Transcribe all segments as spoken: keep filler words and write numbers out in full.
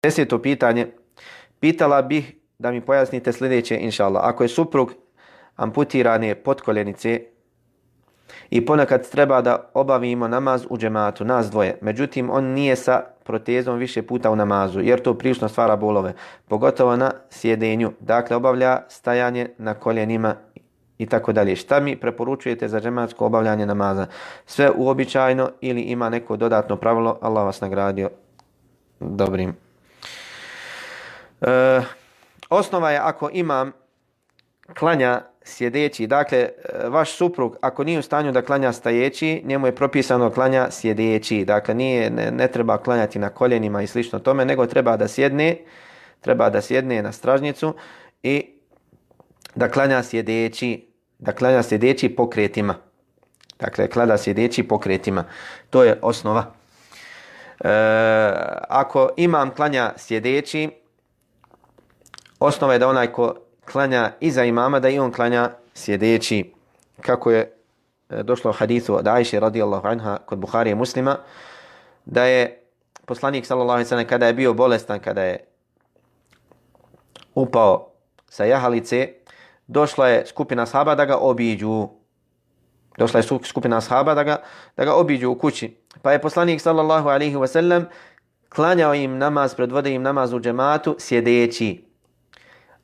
Deseto pitanje. Pitala bih da mi pojasnite sljedeće, inša Allah. Ako je suprug amputirane potkoljenice i ponekad treba da obavimo namaz u džematu, nas dvoje, međutim on nije sa protezom više puta u namazu, jer to prilično stvara bolove, pogotovo na sjedenju. Dakle, obavlja stajanje na koljenima i tako dalje. Šta mi preporučujete za džematsko obavljanje namaza? Sve uobičajeno ili ima neko dodatno pravilo? Allah vas nagradio dobrim. E, osnova je ako imam klanja sjedeći, dakle vaš suprug ako nije u stanju da klanja stajeći, njemu je propisano klanja sjedeći, dakle nije, ne, ne treba klanjati na koljenima i slično tome, nego treba da sjedne, treba da sjedne na stražnicu i da klanja sjedeći, da klanja sjedeći pokretima. Dakle, klanja sjedeći pokretima. To je osnova. E, ako imam klanja sjedeći, osnova je da onaj ko klanja iza imama, da i on klanja sjedeći. Kako je došlo u hadithu od Ajše radijallahu anha kod Buharije Muslima, da je poslanik sallallahu alejhi ve sellem kada je bio bolestan, kada je upao sa jahalice, došla je skupina ashaba da ga obiđu. Došla je skupina ashaba da ga, da ga obiđu u kući. Pa je poslanik sallallahu alejhi ve sellem klanjao im namaz, predvodio im namaz u džematu sjedeći.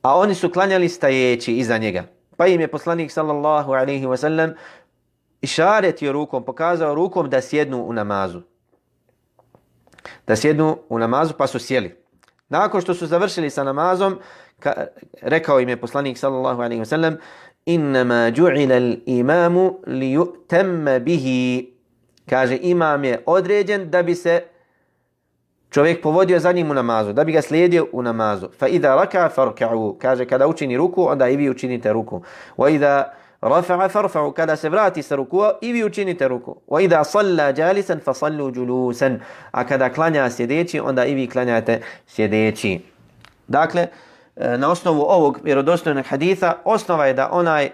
A oni su klanjali stajeći iza njega. Pa im je poslanik sallallahu alejhi ve sellem išaretio rukom, pokazao rukom da sjednu u namazu. Da sjednu u namazu, pa su sjeli. Nakon što su završili sa namazom, ka, rekao im je poslanik sallallahu alejhi ve sellem: "Innama ju'ila al-imamu li yu'tamma bihi." Kaže, imam je određen da bi se čovjek povodio za njim u namazu, da bi ga slijedio u namazu. Fa idha raka farka'u. Kaže, kada učini ruku, onda i vi učinite ruku. Wa idha rafa'a farfa'u. Kada se vrati sa rukua, i vi učinite ruku. Wa idha salla jalisan fa sallu julusan. A kada klanja sjedeći, onda i vi klanjate sjedeći. Dakle, na osnovu ovog vjerodostojnog haditha, osnova je da onaj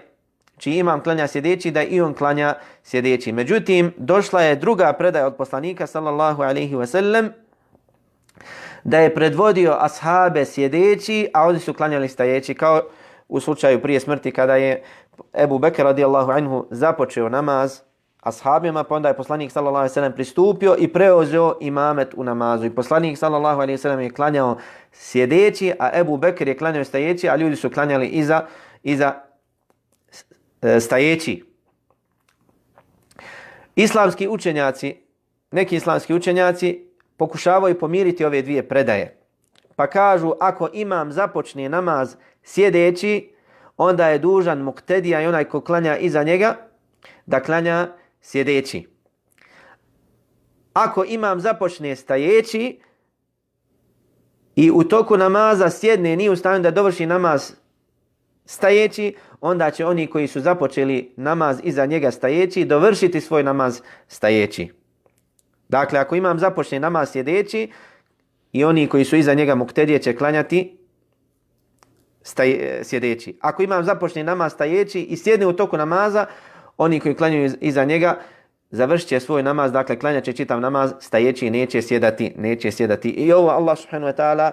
čiji imam klanja sjedeći, da i on klanja sjedeći. Međutim, došla je druga predaja od poslanika sallallahu alejhi ve sellem, da je predvodio ashabe sjedeći, a oni su klanjali stajeći, kao u slučaju prije smrti kada je Ebu Bekr radijallahu anhu započeo namaz ashabima, pa onda je poslanik sallallahu alejhi ve sellem pristupio i preuzeo imamet u namazu. I poslanik sallallahu alejhi ve sellem je klanjao sjedeći, a Ebu Bekr je klanjao stajeći, a ljudi su klanjali iza, iza stajeći. Islamski učenjaci, neki islamski učenjaci pokušavaju pomiriti ove dvije predaje. Pa kažu, ako imam započne namaz sjedeći, onda je dužan muktedija i onaj ko klanja iza njega da klanja sjedeći. Ako imam započne stajeći i u toku namaza sjedne, nije u stanju da dovrši namaz stajeći, onda će oni koji su započeli namaz iza njega stajeći dovršiti svoj namaz stajeći. Dakle, ako imam započne namaz sjedeći i oni koji su iza njega muktedije će klanjati staj, sjedeći. Ako imam započne namaz stajeći i sjedne u toku namaza, oni koji klanjaju iza njega završit će svoj namaz, dakle klanjat će čitav namaz stajeći i neće sjedati, neće sjedati. I ovo Allah subhanahu wa ta'ala,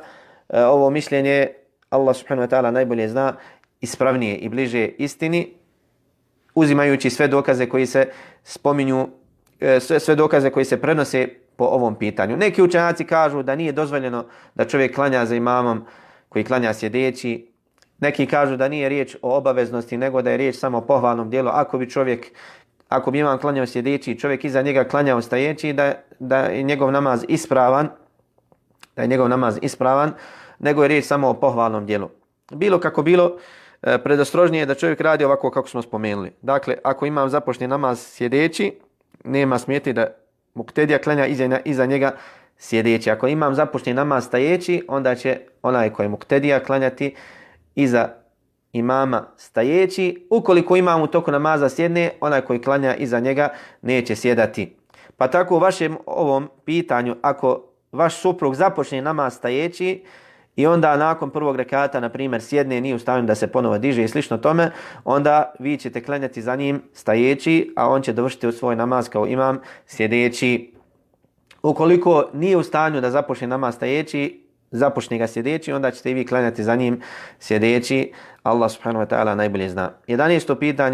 ovo mišljenje Allah subhanahu wa ta'ala najbolje zna, ispravnije i bliže istini, uzimajući sve dokaze koji se spominju, sve, sve dokaze koji se prenose po ovom pitanju. Neki učenjaci kažu da nije dozvoljeno da čovjek klanja za imamom koji klanja sjedeći. Neki kažu da nije riječ o obaveznosti, nego da je riječ samo o pohvalnom dijelu. Ako bi čovjek, ako bi imam klanjao sjedeći, čovjek iza njega klanjao stajeći, da, da je njegov namaz ispravan, da je njegov namaz ispravan, nego je riječ samo o pohvalnom dijelu. Bilo kako bilo, predostrožnije je da čovjek radi ovako kako smo spomenuli. Dakle, ako imam započne namaz sjedeći, nema smjeti da muktedija klanja iza, iza njega sjedeći. Ako imam započne namaz stajeći, onda će onaj koji je muktedija klanjati iza imama stajeći. Ukoliko imam u toku namaza sjedne, onaj koji klanja iza njega neće sjedati. Pa tako u vašem ovom pitanju, ako vaš suprug započne namaz stajeći i onda nakon prvog rekata, na primjer, sjedne, nije u stanju da se ponovo diže i slično tome, onda vi ćete klanjati za njim stajeći, a on će dovršiti svoj namaz kao imam sjedeći. Ukoliko nije u stanju da započne namaz stajeći, započne ga sjedeći, onda ćete i vi klanjati za njim sjedeći. Allah subhanahu wa ta'ala najbolje zna. jedanaesto pitanje.